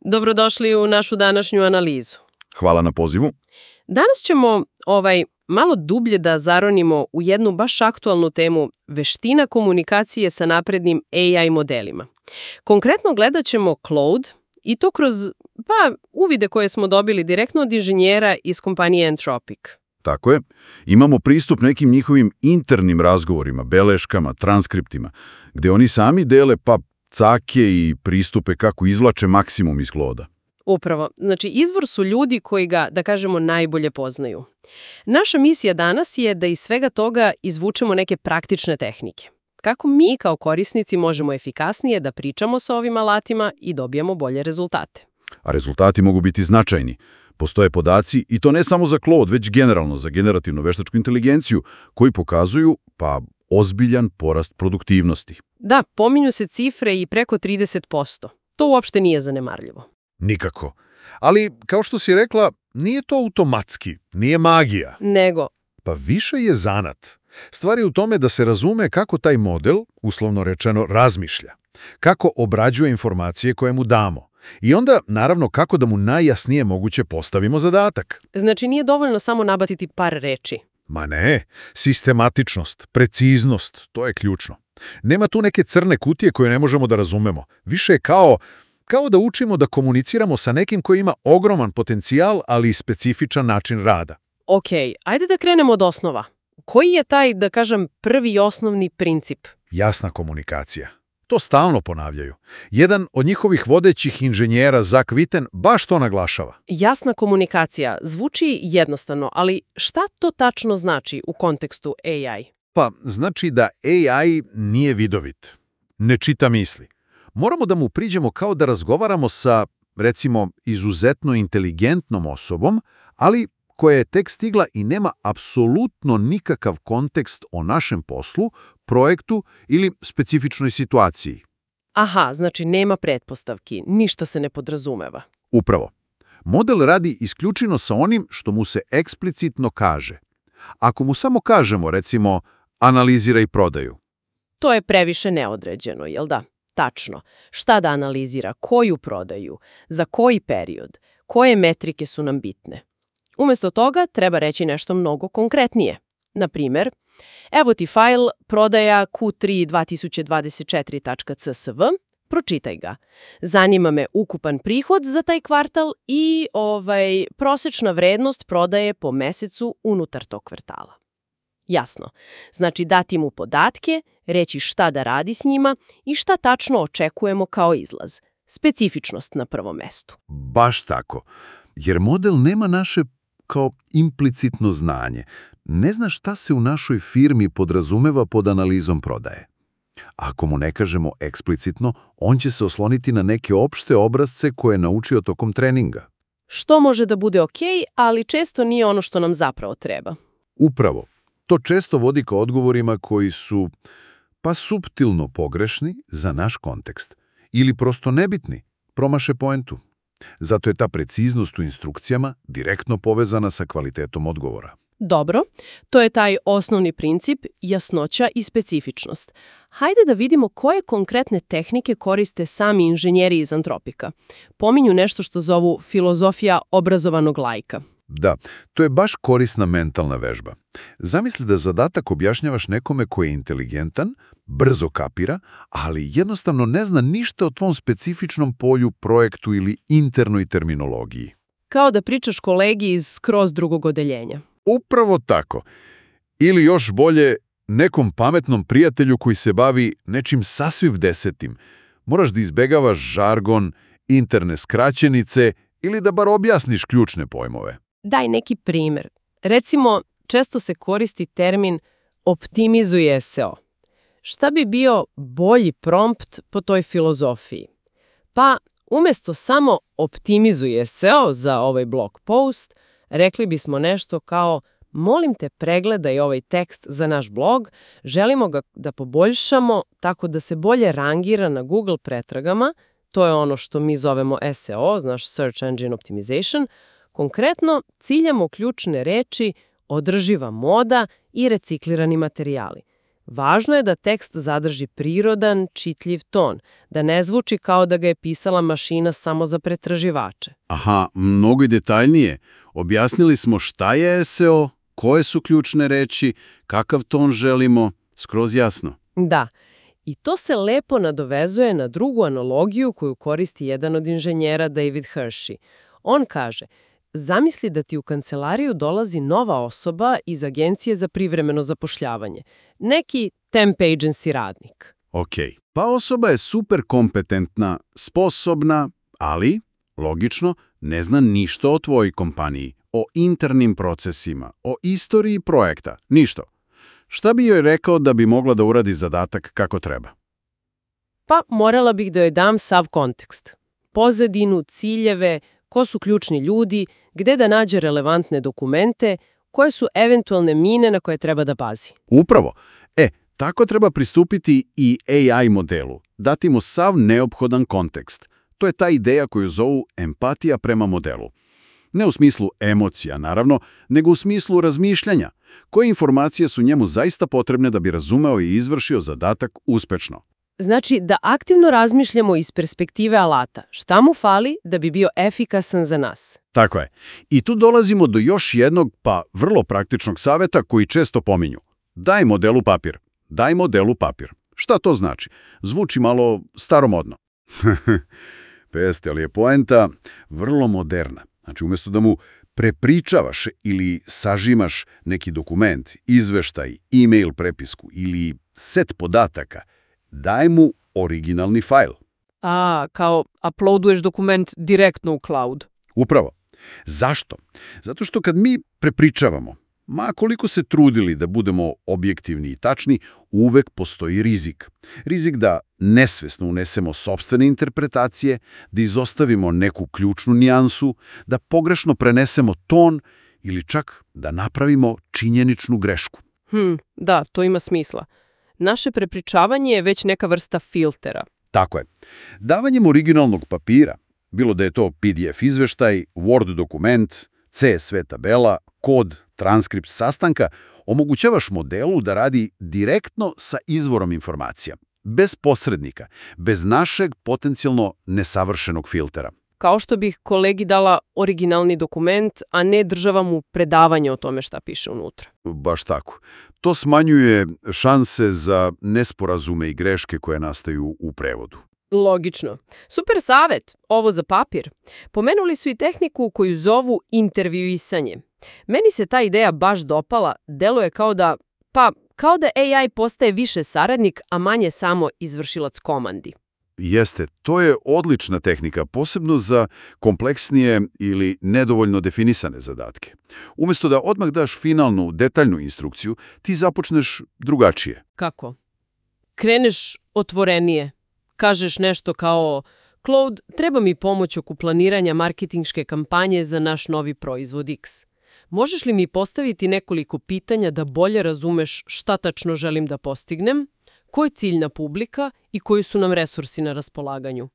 Dobrodošli u našu današnju analizu. Hvala na pozivu. Danas ćemo malo dublje da zaronimo u jednu baš aktualnu temu veština komunikacije sa naprednim AI modelima. Konkretno gledat ćemo Claude i to kroz uvide koje smo dobili direktno od inženjera iz kompanije Anthropic. Tako je. Imamo pristup nekim njihovim internim razgovorima, beleškama, transkriptima, gde oni sami dele cake i pristupe kako izvlače maksimum iz Claude-a. Upravo. Znači, izvor su ljudi koji ga, da kažemo, najbolje poznaju. Naša misija danas je da iz svega toga izvučemo neke praktične tehnike. Kako mi kao korisnici možemo efikasnije da pričamo sa ovim alatima i dobijemo bolje rezultate. A rezultati mogu biti značajni. Postoje podaci, i to ne samo za Claude, već generalno za generativnu veštačku inteligenciju, koji pokazuju, ozbiljan porast produktivnosti. Da, pominju se cifre i preko 30%. To uopšte nije zanemarljivo. Nikako. Ali, kao što si rekla, nije to automatski, nije magija. Nego? Pa više je zanat. Stvar je u tome da se razume kako taj model, uslovno rečeno, razmišlja. Kako obrađuje informacije koje mu damo. I onda, naravno, kako da mu najjasnije moguće postavimo zadatak. Znači, nije dovoljno samo nabaciti par reči. Ma ne, sistematičnost, preciznost, to je ključno. Nema tu neke crne kutije koje ne možemo da razumemo. Više je kao da učimo da komuniciramo sa nekim koji ima ogroman potencijal, ali i specifičan način rada. Ok, ajde da krenemo od osnova. Koji je taj, da kažem, prvi i osnovni princip? Jasna komunikacija. To stalno ponavljaju. Jedan od njihovih vodećih inženjera, Zach Witten, baš to naglašava. Jasna komunikacija zvuči jednostavno, ali šta to tačno znači u kontekstu AI? Pa, znači da AI nije vidovit. Ne čita misli. Moramo da mu priđemo kao da razgovaramo sa, recimo, izuzetno inteligentnom osobom, ali koja je tek stigla i nema apsolutno nikakav kontekst o našem poslu, projektu ili specifičnoj situaciji. Aha, znači nema pretpostavki, ništa se ne podrazumeva. Upravo. Model radi isključivo sa onim što mu se eksplicitno kaže. Ako mu samo kažemo, recimo, analiziraj prodaju. To je previše neodređeno, jel da? Tačno. Šta da analizira, koju prodaju, za koji period, koje metrike su nam bitne. Umjesto toga treba reći nešto mnogo konkretnije. Na primjer, evo ti fajl prodaja Q3 2024.csv, pročitaj ga. Zanima me ukupan prihod za taj kvartal i prosečna vrednost prodaje po mesecu unutar tog kvartala. Jasno. Znači dati mu podatke, reći šta da radi s njima i šta tačno očekujemo kao izlaz. Specifičnost na prvom mestu. Baš tako. Jer model nema naše kao implicitno znanje. Ne zna šta se u našoj firmi podrazumeva pod analizom prodaje. Ako mu ne kažemo eksplicitno, on će se osloniti na neke opšte obrazce koje je naučio tokom treninga. Što može da bude ok, ali često nije ono što nam zapravo treba. Upravo. To često vodi ka odgovorima koji su suptilno pogrešni za naš kontekst ili prosto nebitni, promaše poentu. Zato je ta preciznost u instrukcijama direktno povezana sa kvalitetom odgovora. Dobro, to je taj osnovni princip, jasnoća i specifičnost. Hajde da vidimo koje konkretne tehnike koriste sami inženjeri iz Anthropica. Pominju nešto što zovu filozofija obrazovanog laika. Da, to je baš korisna mentalna vežba. Zamisli da zadatak objašnjavaš nekome koji je inteligentan, brzo kapira, ali jednostavno ne zna ništa o tvom specifičnom polju, projektu ili internoj terminologiji. Kao da pričaš kolegi iz skroz drugog odeljenja. Upravo tako. Ili još bolje, nekom pametnom prijatelju koji se bavi nečim sasvim desetim. Moraš da izbegavaš žargon, interne skraćenice ili da bar objasniš ključne pojmove. Daj neki primjer. Recimo, često se koristi termin optimizuje SEO. Šta bi bio bolji prompt po toj filozofiji? Pa, umjesto samo optimizuje SEO za ovaj blog post, rekli bismo nešto kao molim te pregledaj ovaj tekst za naš blog, želimo ga da poboljšamo tako da se bolje rangira na Google pretragama, to je ono što mi zovemo SEO, znaš Search Engine Optimization. Konkretno, ciljamo ključne reči održiva moda i reciklirani materijali. Važno je da tekst zadrži prirodan, čitljiv ton, da ne zvuči kao da ga je pisala mašina samo za pretraživače. Aha, mnogo i detaljnije. Objasnili smo šta je SEO, koje su ključne reči, kakav ton želimo, skroz jasno. Da, i to se lepo nadovezuje na drugu analogiju koju koristi jedan od inženjera David Hershey. On kaže, zamisli da ti u kancelariju dolazi nova osoba iz agencije za privremeno zapošljavanje. Neki temp agency radnik. Ok, pa osoba je super kompetentna, sposobna, ali, logično, ne zna ništa o tvojoj kompaniji, o internim procesima, o istoriji projekta, ništa. Šta bi joj rekao da bi mogla da uradi zadatak kako treba? Pa morala bih da joj dam sav kontekst. Pozadinu, ciljeve, ko su ključni ljudi, gde da nađe relevantne dokumente, koje su eventualne mine na koje treba da pazi. Upravo. Tako treba pristupiti i AI modelu, dati mu sav neophodan kontekst. To je ta ideja koju zovu empatija prema modelu. Ne u smislu emocija, naravno, nego u smislu razmišljanja. Koje informacije su njemu zaista potrebne da bi razumeo i izvršio zadatak uspešno? Znači da aktivno razmišljamo iz perspektive alata. Šta mu fali da bi bio efikasan za nas? Tako je. I tu dolazimo do još jednog, pa vrlo praktičnog saveta koji često pominju. Daj modelu papir. Daj modelu papir. Šta to znači? Zvuči malo staromodno. Peste, ali je poenta vrlo moderna. Znači, umjesto da mu prepričavaš ili sažimaš neki dokument, izveštaj, e-mail prepisku ili set podataka, daj mu originalni fajl. Kao uploaduješ dokument direktno u cloud. Upravo. Zašto? Zato što kad mi prepričavamo, ma koliko se trudili da budemo objektivni i tačni, uvek postoji rizik. Rizik da nesvesno unesemo sopstvene interpretacije, da izostavimo neku ključnu nijansu, da pogrešno prenesemo ton ili čak da napravimo činjeničnu grešku. Da, to ima smisla. Naše prepričavanje je već neka vrsta filtera. Tako je. Davanjem originalnog papira, bilo da je to PDF izveštaj, Word dokument, CSV tabela, kod, transkript sastanka, omogućavaš modelu da radi direktno sa izvorom informacija, bez posrednika, bez našeg potencijalno nesavršenog filtera. Kao što bih kolegi dala originalni dokument, a ne država mu predavanje o tome šta piše unutra. Baš tako. To smanjuje šanse za nesporazume i greške koje nastaju u prevodu. Logično. Super savjet, ovo za papir. Pomenuli su i tehniku koju zovu intervjuisanje. Meni se ta ideja baš dopala, deluje kao da AI postaje više saradnik, a manje samo izvršilac komandi. Jeste, to je odlična tehnika, posebno za kompleksnije ili nedovoljno definisane zadatke. Umjesto da odmah daš finalnu, detaljnu instrukciju, ti započneš drugačije. Kako? Kreneš otvorenije. Kažeš nešto kao, Claude, treba mi pomoć oko planiranja marketinške kampanje za naš novi proizvod X. Možeš li mi postaviti nekoliko pitanja da bolje razumeš šta tačno želim da postignem, ko je ciljna publika i koji su nam resursi na raspolaganju?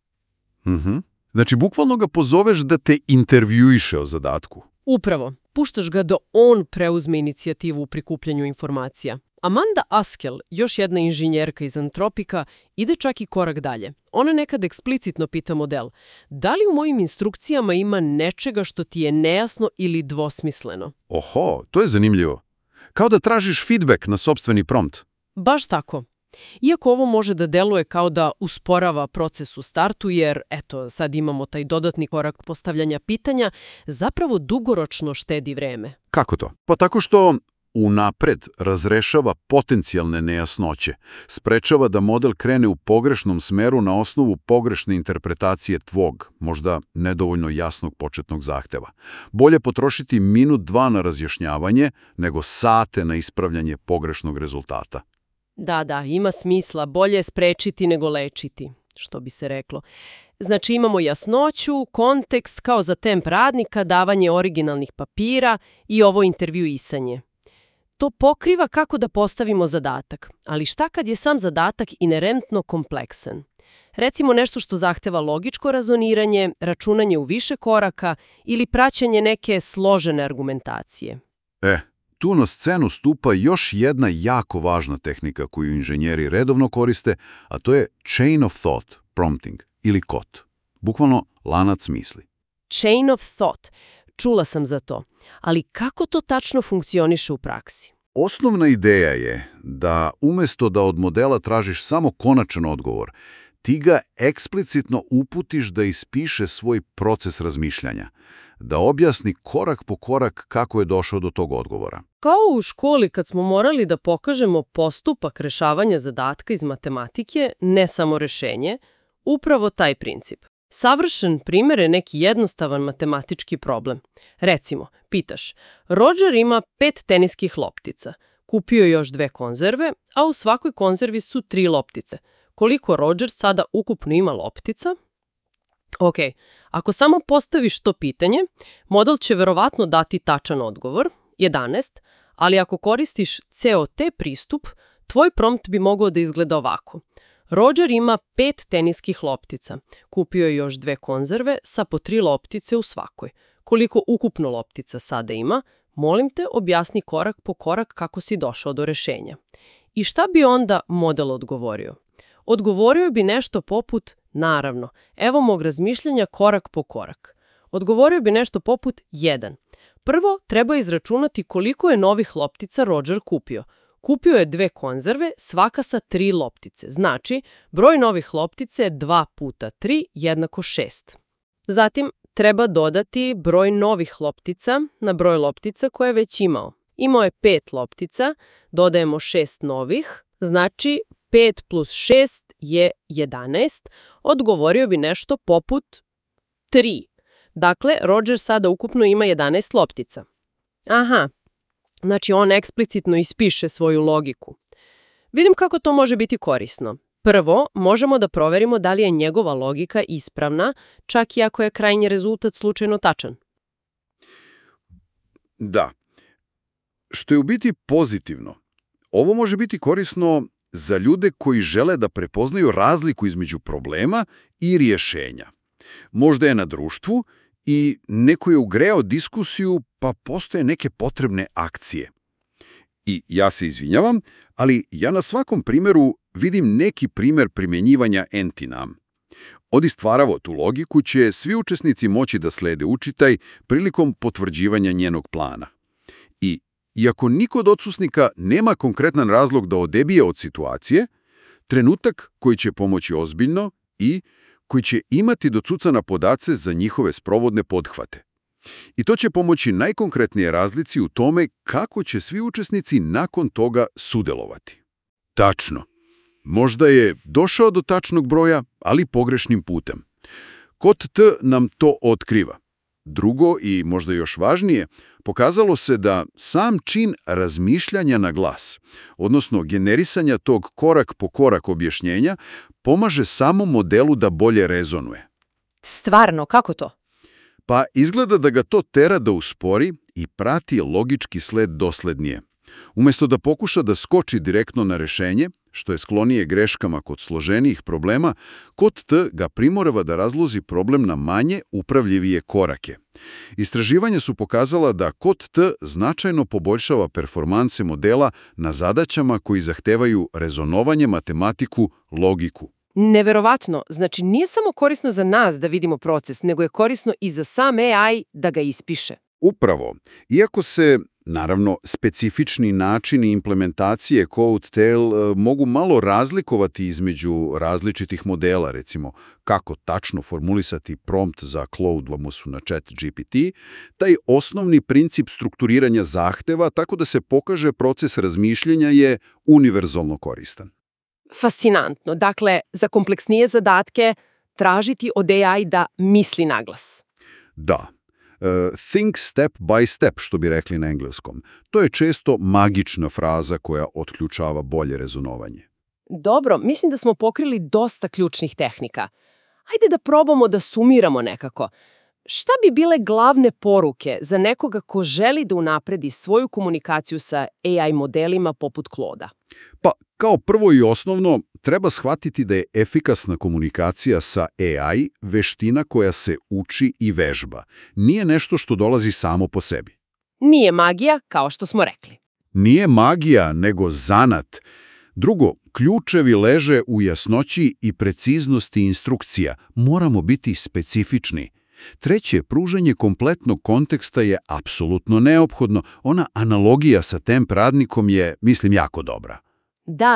Znači, bukvalno ga pozoveš da te intervjuiše o zadatku. Upravo. Puštaš ga da on preuzme inicijativu u prikupljanju informacija. Amanda Askel, još jedna inženjerka iz Antropika, ide čak i korak dalje. Ona nekad eksplicitno pita model, da li u mojim instrukcijama ima nečega što ti je nejasno ili dvosmisleno? Oho, to je zanimljivo. Kao da tražiš feedback na sopstveni prompt. Baš tako. Iako ovo može da deluje kao da usporava proces u startu, jer, sad imamo taj dodatni korak postavljanja pitanja, zapravo dugoročno štedi vreme. Kako to? Pa tako što unapred razrešava potencijalne nejasnoće, sprečava da model krene u pogrešnom smeru na osnovu pogrešne interpretacije tvog, možda nedovoljno jasnog početnog zahteva. Bolje potrošiti minut, dva na razjašnjavanje, nego sate na ispravljanje pogrešnog rezultata. Da, ima smisla. Bolje sprečiti nego lečiti, što bi se reklo. Znači imamo jasnoću, kontekst kao za temp radnika, davanje originalnih papira i ovo intervjuisanje. To pokriva kako da postavimo zadatak, ali šta kad je sam zadatak inerentno kompleksan? Recimo nešto što zahteva logičko razoniranje, računanje u više koraka ili praćenje neke složene argumentacije. tu na scenu stupa još jedna jako važna tehnika koju inženjeri redovno koriste, a to je chain of thought prompting ili COT. Bukvalno lanac misli. Chain of thought. Čula sam za to. Ali kako to tačno funkcioniše u praksi? Osnovna ideja je da umjesto da od modela tražiš samo konačan odgovor, ti ga eksplicitno uputiš da ispiše svoj proces razmišljanja, da objasni korak po korak kako je došao do tog odgovora. Kao u školi kad smo morali da pokažemo postupak rešavanja zadatka iz matematike, ne samo rešenje, upravo taj princip. Savršen primjer je neki jednostavan matematički problem. Recimo, pitaš, Roger ima 5 teniskih loptica, kupio je još 2 konzerve, a u svakoj konzervi su 3 loptice. Koliko Roger sada ukupno ima loptica? Ok, ako samo postaviš to pitanje, model će verovatno dati tačan odgovor, 11, ali ako koristiš COT pristup, tvoj prompt bi mogao da izgleda ovako. Roger ima 5 teniskih loptica, kupio je još 2 konzerve sa po 3 loptice u svakoj. Koliko ukupno loptica sada ima, molim te objasni korak po korak kako si došao do rešenja. I šta bi onda model odgovorio? Odgovorio bi nešto poput, naravno, evo mog razmišljanja korak po korak. Odgovorio bi nešto poput 1. Prvo, treba izračunati koliko je novih loptica Roger kupio. Kupio je 2 konzerve, svaka sa 3 loptice. Znači, broj novih loptice je 2 puta 3 jednako 6. Zatim, treba dodati broj novih loptica na broj loptica koje je već imao. Imao je 5 loptica, dodajemo 6 novih, znači 5 plus 6 je 11, odgovorio bi nešto poput 3. Dakle, Roger sada ukupno ima 11 loptica. Aha, znači on eksplicitno ispiše svoju logiku. Vidim kako to može biti korisno. Prvo, možemo da proverimo da li je njegova logika ispravna, čak i ako je krajnji rezultat slučajno tačan. Da. Što je u biti pozitivno. Ovo može biti korisno za ljude koji žele da prepoznaju razliku između problema i rješenja. Možda je na društvu i neko je ugreo diskusiju, pa postoje neke potrebne akcije. I ja se izvinjavam, ali ja na svakom primjeru vidim neki primjer primjenjivanja entinam. Od stvaravo tu logiku će svi učesnici moći da slede učitaj prilikom potvrđivanja njenog plana. I iako niko od odsusnika nema konkretan razlog da odebije od situacije, trenutak koji će pomoći ozbiljno i koji će imati docucana podace za njihove sprovodne pothvate. I to će pomoći najkonkretnije razlici u tome kako će svi učesnici nakon toga sudelovati. Tačno. Možda je došao do tačnog broja, ali pogrešnim putem. Kod T nam to otkriva. Drugo i možda još važnije, pokazalo se da sam čin razmišljanja na glas, odnosno generisanja tog korak po korak objašnjenja, pomaže samom modelu da bolje rezonuje. Stvarno, kako to? Pa izgleda da ga to tera da uspori i prati logički sled doslednije. Umjesto da pokuša da skoči direktno na rešenje, što je sklonije greškama kod složenijih problema, kod T ga primorava da razloži problem na manje upravljivije korake. Istraživanja su pokazala da kod T značajno poboljšava performanse modela na zadaćama koji zahtevaju rezonovanje, matematiku, logiku. Neverovatno. Znači, nije samo korisno za nas da vidimo proces, nego je korisno i za sam AI da ga ispiše. Upravo. Iako se, naravno, specifični načini implementacije CodeTail mogu malo razlikovati između različitih modela, recimo kako tačno formulisati prompt za Claude u odnosu na ChatGPT, taj osnovni princip strukturiranja zahteva tako da se pokaže proces razmišljanja je univerzalno koristan. Fascinantno. Dakle, za kompleksnije zadatke tražiti od AI da misli naglas. Da. Think step by step, što bi rekli na engleskom. To je često magična fraza koja otključava bolje rezonovanje. Dobro, mislim da smo pokrili dosta ključnih tehnika. Ajde da probamo da sumiramo nekako. Šta bi bile glavne poruke za nekoga ko želi da unapredi svoju komunikaciju sa AI modelima poput Claude-a? Pa, kao prvo i osnovno, treba shvatiti da je efikasna komunikacija sa AI veština koja se uči i vežba. Nije nešto što dolazi samo po sebi. Nije magija, kao što smo rekli. Nije magija, nego zanat. Drugo, ključevi leže u jasnoći i preciznosti instrukcija. Moramo biti specifični. Treće, pružanje kompletnog konteksta je apsolutno neophodno. Ona analogija sa temp radnikom je, mislim, jako dobra.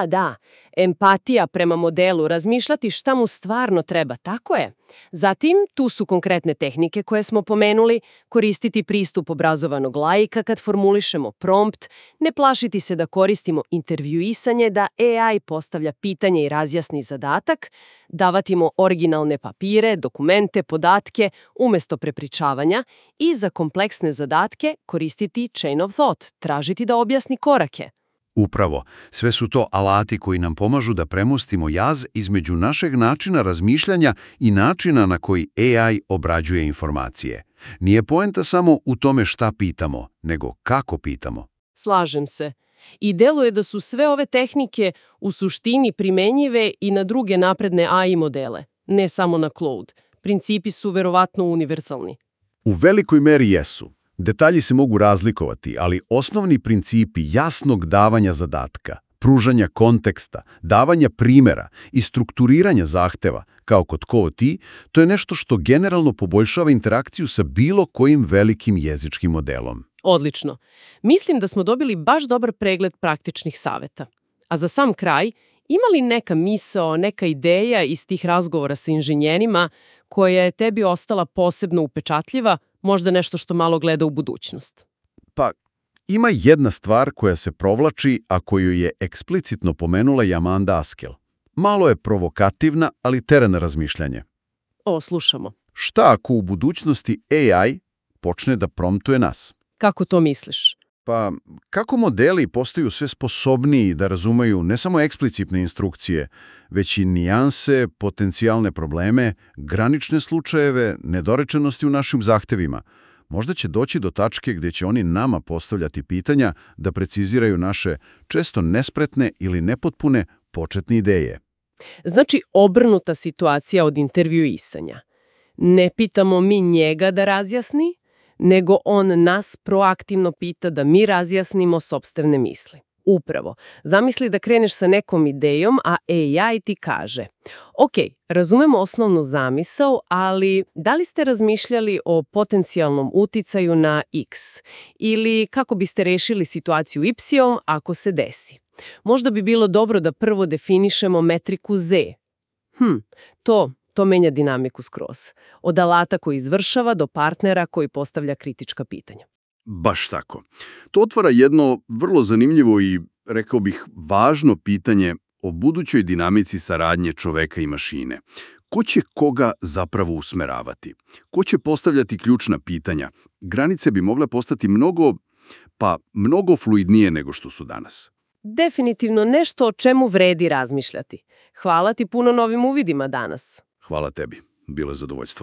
Da, empatija prema modelu, razmišljati šta mu stvarno treba, tako je. Zatim, tu su konkretne tehnike koje smo pomenuli, koristiti pristup obrazovanog laika kad formulišemo prompt, ne plašiti se da koristimo intervjuisanje, da AI postavlja pitanje i razjasni zadatak, davati mu originalne papire, dokumente, podatke, umjesto prepričavanja i za kompleksne zadatke koristiti chain of thought, tražiti da objasni korake. Upravo, sve su to alati koji nam pomažu da premostimo jaz između našeg načina razmišljanja i načina na koji AI obrađuje informacije. Nije poenta samo u tome šta pitamo, nego kako pitamo. Slažem se. I deluje da su sve ove tehnike u suštini primenjive i na druge napredne AI modele, ne samo na Claude. Principi su verovatno univerzalni. U velikoj meri jesu. Detalji se mogu razlikovati, ali osnovni principi jasnog davanja zadatka, pružanja konteksta, davanja primjera i strukturiranja zahteva, kao kod Cooti, to je nešto što generalno poboljšava interakciju sa bilo kojim velikim jezičkim modelom. Odlično. Mislim da smo dobili baš dobar pregled praktičnih saveta. A za sam kraj, ima li neka misao, neka ideja iz tih razgovora sa inženjerima koja je tebi ostala posebno upečatljiva, možda nešto što malo gleda u budućnost? Pa, ima jedna stvar koja se provlači, a koju je eksplicitno pomenula i Amanda Askel. Malo je provokativna, ali terena razmišljanje. Slušamo. Šta ako u budućnosti AI počne da promptuje nas? Kako to misliš? Pa, kako modeli postaju sve sposobniji da razumeju ne samo eksplicitne instrukcije, već i nijanse, potencijalne probleme, granične slučajeve, nedorečenosti u našim zahtevima? Možda će doći do tačke gdje će oni nama postavljati pitanja da preciziraju naše često nespretne ili nepotpune početne ideje. Znači, obrnuta situacija od intervjuisanja. Ne pitamo mi njega da razjasni, nego on nas proaktivno pita da mi razjasnimo sopstvene misli. Upravo, zamisli da kreneš sa nekom idejom, a AI ti kaže: ok, razumemo osnovnu zamisao, ali da li ste razmišljali o potencijalnom uticaju na X? Ili kako biste rešili situaciju Y ako se desi? Možda bi bilo dobro da prvo definišemo metriku Z. To menja dinamiku skroz. Od alata koji izvršava do partnera koji postavlja kritička pitanja. Baš tako. To otvara jedno vrlo zanimljivo i, rekao bih, važno pitanje o budućoj dinamici saradnje čoveka i mašine. Ko će koga zapravo usmeravati? Ko će postavljati ključna pitanja? Granice bi mogle postati mnogo fluidnije nego što su danas. Definitivno nešto o čemu vredi razmišljati. Hvala ti puno novim uvidima danas. Hvala tebi. Bilo je zadovoljstvo.